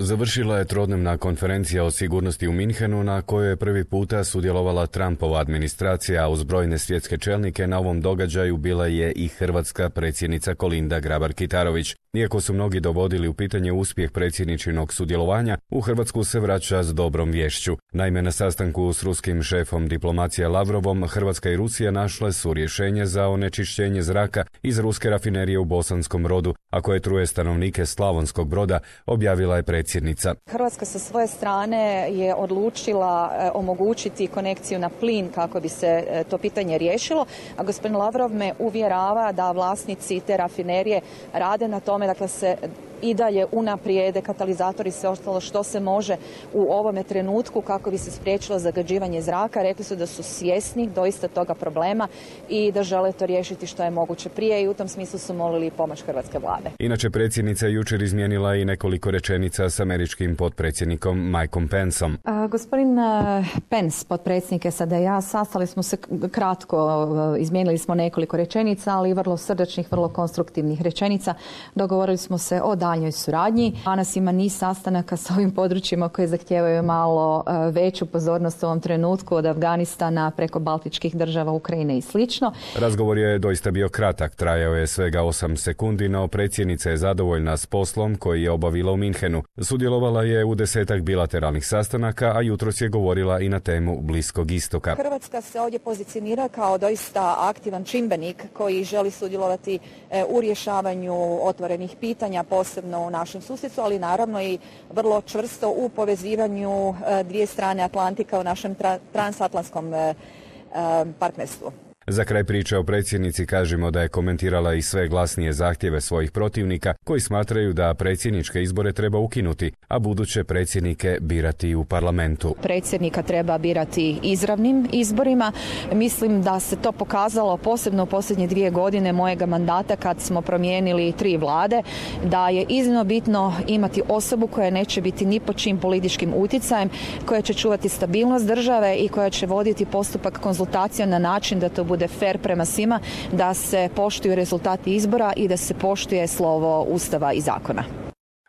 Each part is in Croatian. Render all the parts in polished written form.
Završila je trodnevna konferencija o sigurnosti u Minhenu na kojoj je prvi puta sudjelovala Trumpova administracija, a uz brojne svjetske čelnike na ovom događaju bila je i hrvatska predsjednica Kolinda Grabar-Kitarović. Iako su mnogi dovodili u pitanje uspjeh predsjedničinog sudjelovanja, u Hrvatsku se vraća s dobrom viješću. Naime, na sastanku s ruskim šefom diplomacije Lavrovom, Hrvatska i Rusija našle su rješenje za onečišćenje zraka iz ruske rafinerije u Bosanskom Brodu, a koje truje stanovnike Slavonskog Broda, objavila je predsjednica. Hrvatska sa svoje strane je odlučila omogućiti konekciju na plin kako bi se to pitanje riješilo, a gospodin Lavrov me uvjerava da vlasnici te rafinerije rade na tome, dakle se i dalje unaprijede katalizatori i sve ostalo što se može u ovome trenutku kako bi se spriječilo zagađivanje zraka. Rekli su da su svjesni doista toga problema i da žele to riješiti što je moguće prije i u tom smislu su molili pomoć hrvatske vlade. Inače, predsjednica je jučer izmijenila i nekoliko rečenica s američkim potpredsjednikom Mikeom Penceom. Gospodin Pence, potpredsjednik SAD-a, sastali smo se kratko, izmijenili smo nekoliko rečenica, ali vrlo srdačnih, vrlo konstruktivnih rečenica. Dogovorili smo se o daljnjoj suradnji. Danas ima niz sastanaka s ovim područjima koje zahtijevaju malo veću pozornost u ovom trenutku, od Afganistana preko baltičkih država, Ukrajine i slično. Razgovor je doista bio kratak, trajao je svega 8 sekundi, no predsjednica je zadovoljna s poslom koji je obavila u Minhenu. Sudjelovala je u 10 bilateralnih sastanaka, a jutros je govorila i na temu Bliskog istoka. Hrvatska se ovdje pozicionira kao doista aktivan čimbenik koji želi sudjelovati u rješavanju otvorenih pitanja, posebno u našem susjedstvu, ali naravno i vrlo čvrsto u povezivanju dvije strane Atlantika u našem transatlantskom partnerstvu. Za kraj priče o predsjednici kažemo da je komentirala i sve glasnije zahtjeve svojih protivnika koji smatraju da predsjedničke izbore treba ukinuti, a buduće predsjednike birati u parlamentu. Predsjednika treba birati izravnim izborima. Mislim da se to pokazalo posebno u posljednje 2 godine mojega mandata kad smo promijenili 3 vlade, da je iznimno bitno imati osobu koja neće biti ni pod čim političkim utjecajem, koja će čuvati stabilnost države i koja će voditi postupak konzultacija na način da to bude fer prema svima, da se poštuju rezultati izbora i da se poštuje slovo Ustava i zakona.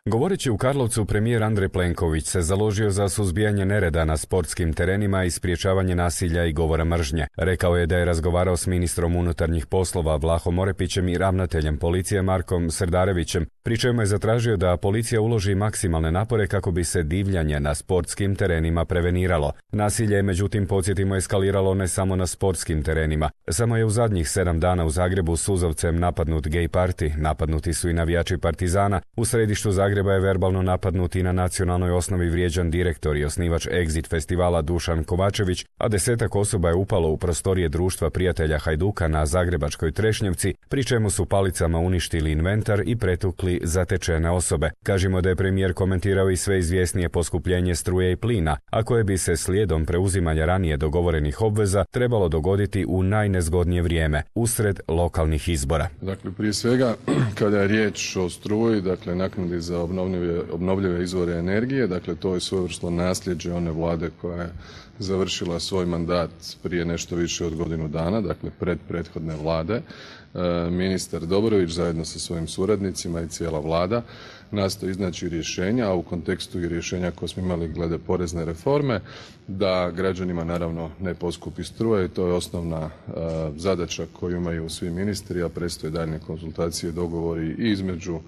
Govoreći u Karlovcu, premijer Andrej Plenković se založio za suzbijanje nereda na sportskim terenima i sprječavanje nasilja i govora mržnje. Rekao je da je razgovarao s ministrom unutarnjih poslova Vlahom Orepićem i ravnateljem policije Markom Srdarevićem, pri čemu je zatražio da policija uloži maksimalne napore kako bi se divljanje na sportskim terenima preveniralo. Nasilje je, međutim, podsjetimo, eskaliralo ne samo na sportskim terenima. Samo je u zadnjih 7 dana u Zagrebu suzavcem napadnut gay party, napadnuti su i navijači Partizana, u središtu Zagreba je verbalno napadnut i na nacionalnoj osnovi vrijeđan direktor i osnivač Exit festivala Dušan Kovačević, a 10 osoba je upalo u prostorije društva prijatelja Hajduka na zagrebačkoj Trešnjevci, pri čemu su palicama uništili inventar i pretukli zatečene osobe. Kažemo da je premijer komentirao i sve izvjesnije poskupljenje struje i plina, a koje bi se slijedom preuzimanja ranije dogovorenih obveza trebalo dogoditi u najnezgodnije vrijeme, usred lokalnih izbora. Dakle, prije svega, kada je riječ o struji, dakle, naknadi za obnovljive izvore energije, dakle, to je svojevrsno nasljeđe one vlade koja je završila svoj mandat prije nešto više od godinu dana, dakle, prethodne vlade. Ministar Dobrović zajedno sa svojim suradnicima i cijela vlada nastoji iznaći rješenja, a u kontekstu i rješenja koje smo imali glede porezne reforme, da građanima naravno ne poskupi struje i to je osnovna zadaća koju imaju svi ministri, a predstoje daljnje konzultacije i dogovori i između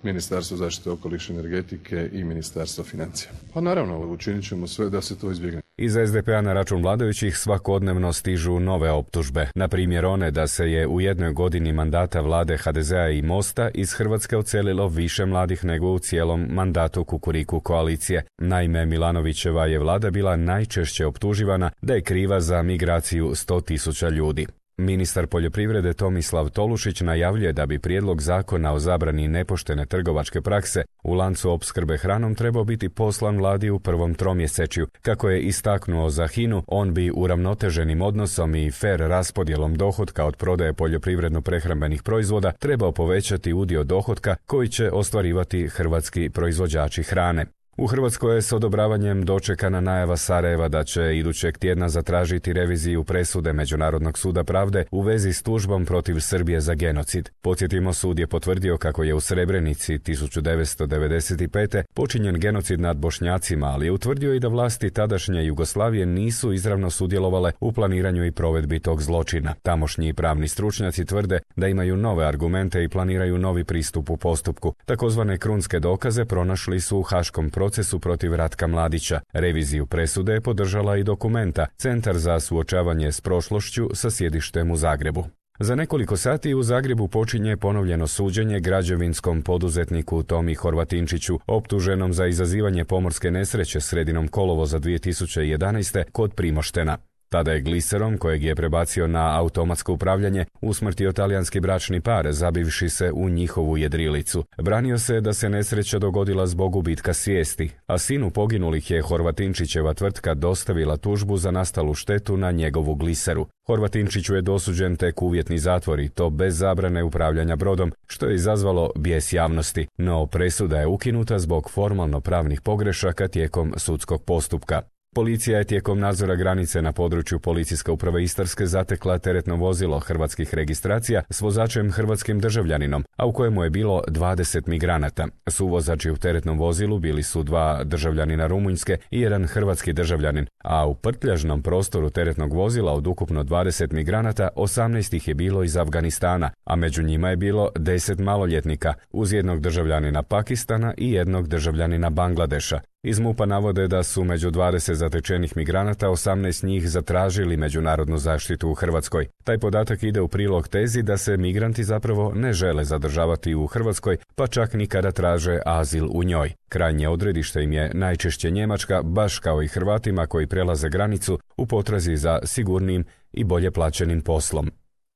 Ministarstva zaštite okoliša i energetike i Ministarstva financija. Pa naravno, učinit ćemo sve da se to izbjegne. Iz SDP-a na račun vladajućih svakodnevno stižu nove optužbe. Na primjer one da se je u jednoj godini mandata vlade HDZ-a i Mosta iz Hrvatske odselilo više mladih nego u cijelom mandatu Kukuriku koalicije. Naime, Milanovićeva je vlada bila najčešće optuživana da je kriva za migraciju 100.000 ljudi. Ministar poljoprivrede Tomislav Tolušić najavljuje da bi prijedlog zakona o zabrani nepoštene trgovačke prakse u lancu opskrbe hranom trebao biti poslan vladi u prvom tromjesečju. Kako je istaknuo za HINA-u, on bi uravnoteženim odnosom i fer raspodjelom dohotka od prodaje poljoprivredno-prehrambenih proizvoda trebao povećati udio dohotka koji će ostvarivati hrvatski proizvođači hrane. U Hrvatskoj je s odobravanjem dočekana najava Sarajeva da će idućeg tjedna zatražiti reviziju presude Međunarodnog suda pravde u vezi s tužbom protiv Srbije za genocid. Podsjetimo, sud je potvrdio kako je u Srebrenici 1995. počinjen genocid nad Bošnjacima, ali je utvrdio i da vlasti tadašnje Jugoslavije nisu izravno sudjelovale u planiranju i provedbi tog zločina. Tamošnji pravni stručnjaci tvrde da imaju nove argumente i planiraju novi pristup u postupku. Takozvane krunske dokaze pronašli su u haškom procesu protiv Ratka Mladića. Reviziju presude je podržala i Dokumenta, Centar za suočavanje s prošlošću sa sjedištem u Zagrebu. Za nekoliko sati u Zagrebu počinje ponovljeno suđenje građevinskom poduzetniku Tomi Horvatinčiću, optuženom za izazivanje pomorske nesreće sredinom kolovoza 2011. kod Primoštena. Tada je gliserom, kojeg je prebacio na automatsko upravljanje, usmrtio talijanski bračni par, zabivši se u njihovu jedrilicu. Branio se da se nesreća dogodila zbog gubitka svijesti, a sinu poginulih je Horvatinčićeva tvrtka dostavila tužbu za nastalu štetu na njegovu gliseru. Horvatinčiću je dosuđen tek uvjetni zatvor i to bez zabrane upravljanja brodom, što je izazvalo bijes javnosti, no presuda je ukinuta zbog formalno pravnih pogrešaka tijekom sudskog postupka. Policija je tijekom nadzora granice na području Policijske uprave Istarske zatekla teretno vozilo hrvatskih registracija s vozačem hrvatskim državljaninom, a u kojemu je bilo 20 migranata. Suvozači u teretnom vozilu bili su 2 državljanina Rumunjske i 1 hrvatski državljanin, a u prtljažnom prostoru teretnog vozila od ukupno 20 migranata 18 ih je bilo iz Afganistana, a među njima je bilo 10 maloljetnika, uz 1 državljanina Pakistana i 1 državljanina Bangladeša. Iz MUP-a navode da su među 20 zatečenih migranata 18 njih zatražili međunarodnu zaštitu u Hrvatskoj. Taj podatak ide u prilog tezi da se migranti zapravo ne žele zadržavati u Hrvatskoj, pa čak ni kada traže azil u njoj. Krajnje odredište im je najčešće Njemačka, baš kao i Hrvatima koji prelaze granicu u potrazi za sigurnim i bolje plaćenim poslom.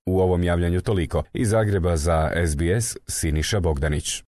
U ovom javljanju toliko. Iz Zagreba za SBS, Siniša Bogdanić.